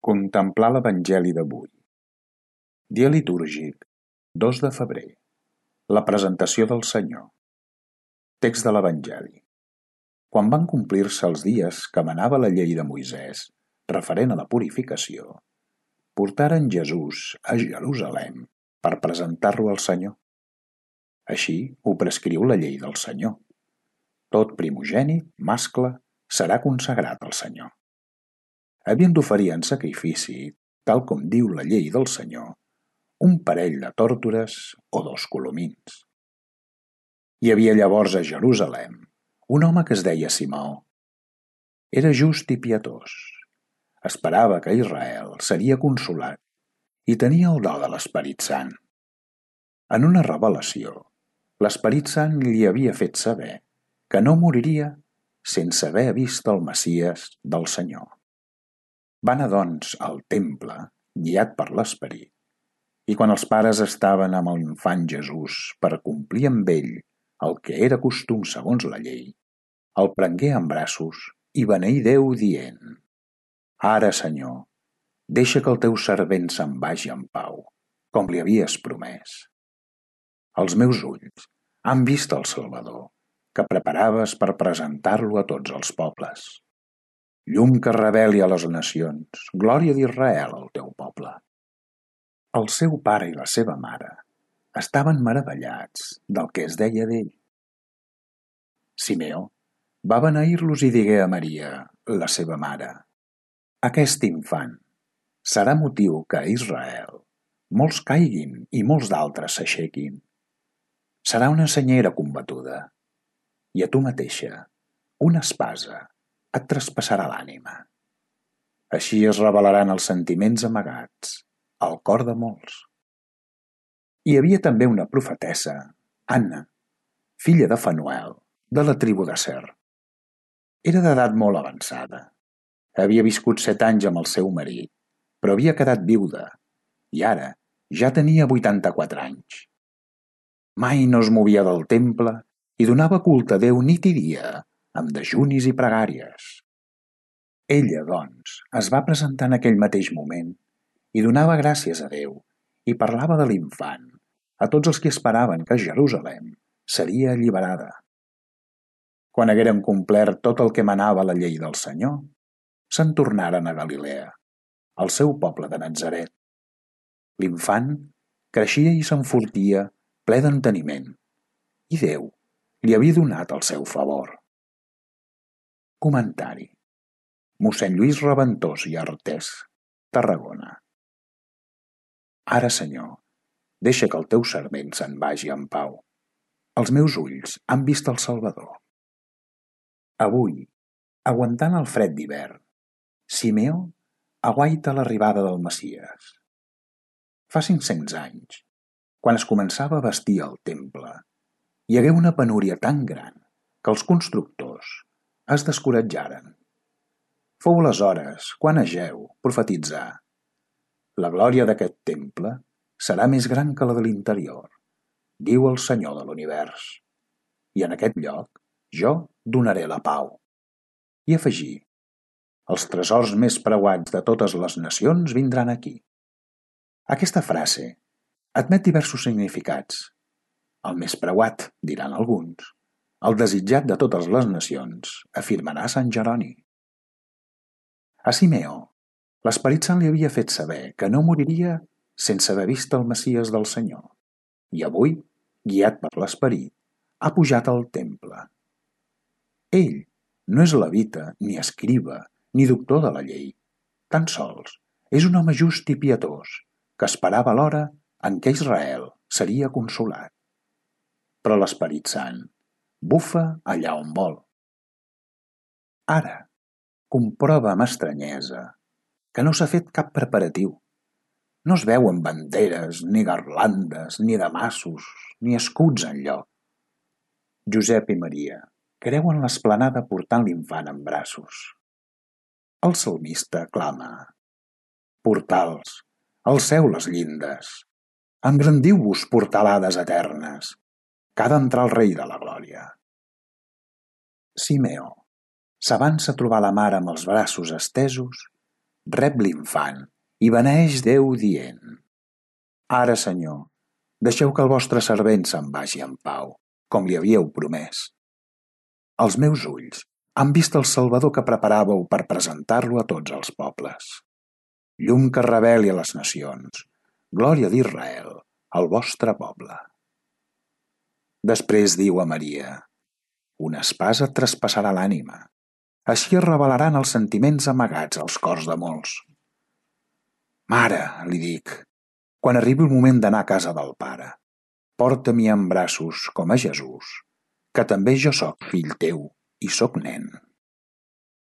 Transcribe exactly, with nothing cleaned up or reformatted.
Contemplar l'Evangeli d'avui. Dia litúrgic, dos de febrer. La presentació del Senyor. Text de l'Evangeli. Quan van complir-se els dies que manava la llei de Moisès, referent a la purificació, portaren Jesús a Jerusalem per presentar-lo al Senyor. Així ho prescriu la llei del Senyor. Tot primogènit, mascle, serà consagrat al Senyor. Havien d'oferir en sacrifici, tal com diu la llei del Senyor, un parell de tórtores o dos colomins. Hi havia llavors a Jerusalem un home que es deia Simeó. Era just i pietós. Esperava que Israel seria consolat i tenia el do de l'Esperit Sant. En una revelació, l'Esperit Sant li havia fet saber que no moriria sense haver vist el Messies del Senyor. Va anar, doncs, al temple, guiat per l'Esperit, i quan els pares estaven amb l'infant Jesús per complir amb ell el que era costum segons la llei, el prengué en braços i beneí Déu dient: «Ara, Senyor, deixa que el teu servent se'n vagi en pau, com li havies promès. Els meus ulls han vist el Salvador, que preparaves per presentar-lo a tots els pobles. Llum que reveli a les nacions, glòria d'Israel al teu poble». El seu pare i la seva mare estaven meravellats del que es deia d'ell. Simeó va beneir-los i digué a Maria, la seva mare: «Aquest infant serà motiu que a Israel molts caiguin i molts d'altres s'aixequin. Serà una senyera combatuda, i a tu mateixa una espasa et traspassarà l'ànima. Així es revelaran els sentiments amagats al cor de molts». Hi havia també una profetessa, Anna, filla de Fanuel, de la tribu d'Aser. Era d'edat molt avançada. Havia viscut set anys amb el seu marit, però havia quedat viuda, i ara ja tenia vuitanta-quatre anys. Mai no es movia del temple i donava culte a Déu nit i dia, amb dejunis i pregàries. Ella, doncs, es va presentar en aquell mateix moment i donava gràcies a Déu i parlava de l'infant a tots els que esperaven que Jerusalem seria alliberada. Quan hagueren complert tot el que manava la llei del Senyor, se'n tornaren a Galilea, al seu poble de Natzaret. L'infant creixia i s'enfortia ple d'enteniment, i Déu li havia donat el seu favor. Comentari. Mossèn Lluís Reventós i Artés, Tarragona. Ara, Senyor, deixa que el teu servent se'n vagi en pau. Els meus ulls han vist el Salvador. Avui, aguantant el fred d'hivern, Simeó aguaita l'arribada del Messies. Fa cinc-cents anys, quan es començava a bastir el temple, hi hagué una penúria tan gran que els constructors es descoratjaren. Fou aleshores quan Ageu profetitzà: «La glòria d'aquest temple serà més gran que la de l'interior, diu el Senyor de l'univers, i en aquest lloc jo donaré la pau». I afegí: «Els tresors més preuats de totes les nacions vindran aquí». Aquesta frase admet diversos significats. El més preuat, diran alguns. El desitjat de totes les nacions, afirmarà Sant Jeroni. A Simeó, l'Esperit Sant li havia fet saber que no moriria sense haver vist el Messies del Senyor, i avui, guiat per l'Esperit, ha pujat al temple. Ell no és levita, ni escriba, ni doctor de la llei. Tan sols és un home just i pietós que esperava l'hora en què Israel seria consolat. Però l'Esperit Sant bufa allà on vol. Ara comprova amb estranyesa que no s'ha fet cap preparatiu. No es veuen banderes, ni garlandes, ni damassos, ni escuts enlloc. Josep i Maria creuen l'esplanada portant l'infant en braços. El salmista clama: «Portals, alceu les llindes, engrandiu-vos portalades eternes, que ha d'entrar el Rei de la Glòria». Simeó s'avança a trobar la mare amb els braços estesos rep l'infant i beneeix Déu dient: Ara, Senyor, deixeu que el vostre servent se'n vagi en pau, com li havíeu promès. Els meus ulls han vist el Salvador que preparàveu per presentar-lo a tots els pobles. Llum que reveli a les nacions, glòria d'Israel, el vostre poble. Després diu a Maria: una espasa et traspassarà l'ànima. Així es revelaran els sentiments amagats als cors de molts. Mare, li dic, quan arribi el moment d'anar a casa del Pare, porta-m'hi en braços com a Jesús, que també jo sóc fill teu i sóc nen.